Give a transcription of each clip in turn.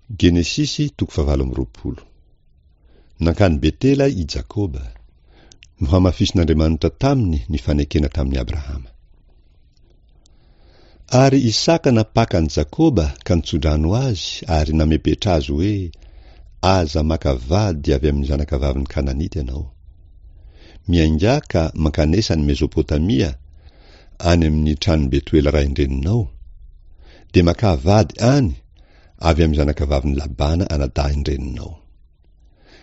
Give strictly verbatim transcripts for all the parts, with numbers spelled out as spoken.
Genesisy toko fahavalo amby roapolo. Nankany Betela i Jakoba. Nohamafisin'Andriamanitra taminy ny fanekena tamin'i Abrahama. Ary Isaka nampaka an'i Jakoba ka nitsodrano azy ary namepetra azy hoe, Aza maka vady avy amin'ny zanakavavin'ny Kananita ianao. Miaingà ka mankanesa any Mezopotamia, any amin'ny tranon'i Betoela rain-dreninao. Dia makà vady any avy amin'ny zanakavavin'i Labana anadahin-dreninao.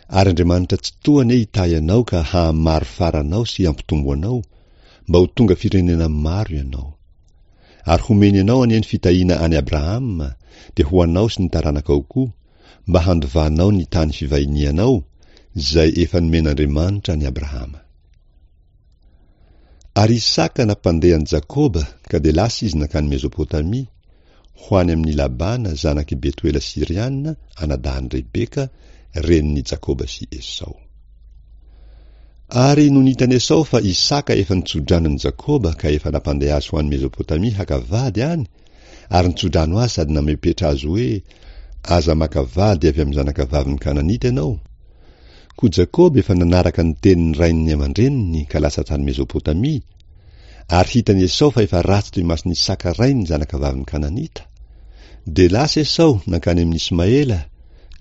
Ary Andriamanitra Tsitoha anie hitahy anao ka hahamaro fara anao sy hampitombo anao, mba ho tonga firenena maro ianao. Ary homeny anao anie ny fitahiana an'i Abrahama, dia ho anao sy ny taranakao koa, mba handovanao ny tany fivahinianao, izay efa nomen'Andriamanitra an'i Abrahama. Ary Isaka nampandeha an'i Jakoba, ka dia lasa izy nankany Mezopotamia, ho any amin'i Labana zanak'i Betoela Syriana, anadahin'i Rebeka, renin'i Jakoba sy Esao. Ary nony hitan'i Esao fa Isaka efa nitsodrano an'i Jakoba ka efa nampandeha azy ho any Mezopotamia haka vady any, ary nitsodrano azy sady namepetra azy hoe, Aza maka vady avy amin'ny zanakavavin'ny Kananita ianao, Koa Jakoba efa nanaraka ny tenin'ny rainy aman-dreniny ka lasa tany Mezopotamia, ary hitan'i Esao fa efa ratsy teo imason'i Isaka rainy ny zanakavavin'ny Kananita. Dia lasa Esao nankany amin'i Ismaela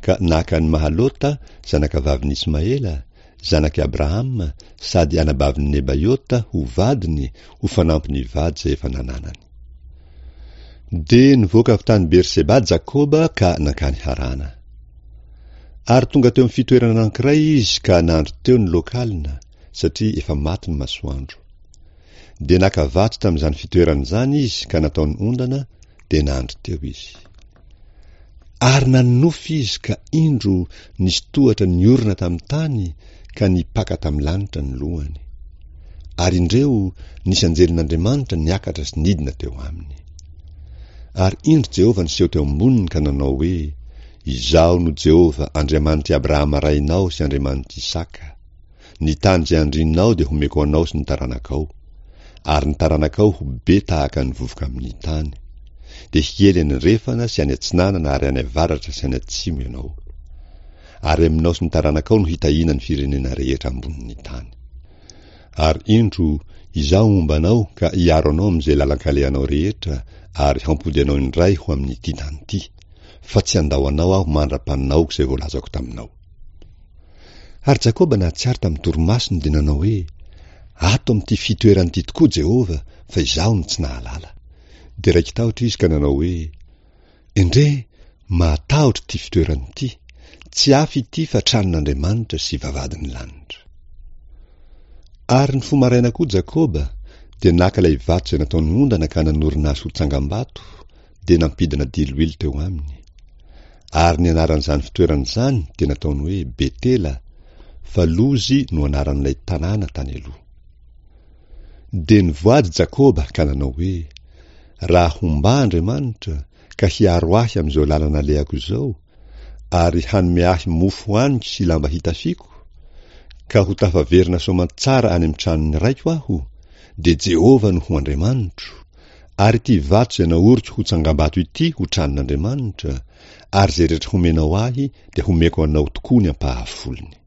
ka naka an'i Mahalota, zanakavavin'i Ismaela, zanak'i Abrahama sady anabavin'i Nebaiota ho vadiny ho fanampin'ny vady izay efa nananany. Dia nivoaka avy tany Berseba Jakoba ka nankany Harana. Ary tonga teo amin'ny fitoerana anankiray izy ka nandry teo ny lokalina, satria efa maty ny masoandro. Dia naka vato tamin'izany fitoerana izany izy ka nataony ondana, dia nandry teo izy. Ary nanonofy izy ka indro nisy tohatra niorina tamin'ny tany ka nipaka tamin'ny lanitra ny lohany. Ary indreo nisy anjelin'Andriamanitra niakatra sy nidina teo aminy. Ary indro Jehovah niseho teo amboniny ka nanao hoe, Izaho no Jehovah, Andriamanitr'i Abrahama rainao sy Andriamanitr'i Isaka. Ny tany izay andrinao dia homeko anao sy ny taranakao. Ary ny taranakao ho be tahaka ny vovoka amin'ny tany. Dia hiely any andrefana sy any atsinanana ary any avaratra sy any atsimo ianao. Ary aminao sy ny taranakao no hitahiana ny firenena rehetra ambonin'ny tany. Ary indro, Izaho momba anao ka hiaro anao amin'izay lalan-kalehanao rehetra ary hampody anao indray ho amin'ity tany ity, fa tsy handao anao Aho mandra-panaoko izay voalazako taminao. Ary Jakoba nahatsiaro tamin'ny torimasony dia nanao hoe, Ato amin'ity fitoerana ity tokoa Jehovah, fa izaho no tsy nahalala. Dia raiki-tahotra izy ka nanao hoe, Endrey, mahatahotra ity fitoerana ity! Tsy hafa ity fa tranon'Andriamanitra sy vavahadin'ny lanitra. Ary nifoha maraina koa Jakoba, dia naka ilay vato izay nataony ondana ka nanorina azy ho tsangambato, dia nampidina diloilo teo aminy. Ary ny anaran'izany fitoerana izany dia nataony hoe Betela, fa Lozy no anaran'ilay tanàna tany aloha. Dia nivoady Jakoba ka nanao hoe, Raha homba Andriamanitra, ka hiaro ahy amin'izao lalana alehako izao, ary hanome ahy mofo hohaniko sy lamba hitafiako, ka ho tafaverina soamantsara any amin'ny tranon'ny raiko aho, dia Jehovah no ho Andriamanitro, ary ity vato izay naoriko ho tsangambato ity ho tranon'Andriamanitra, ary izay rehetra homenao ahy dia homeko anao tokoa ny ampahafolony.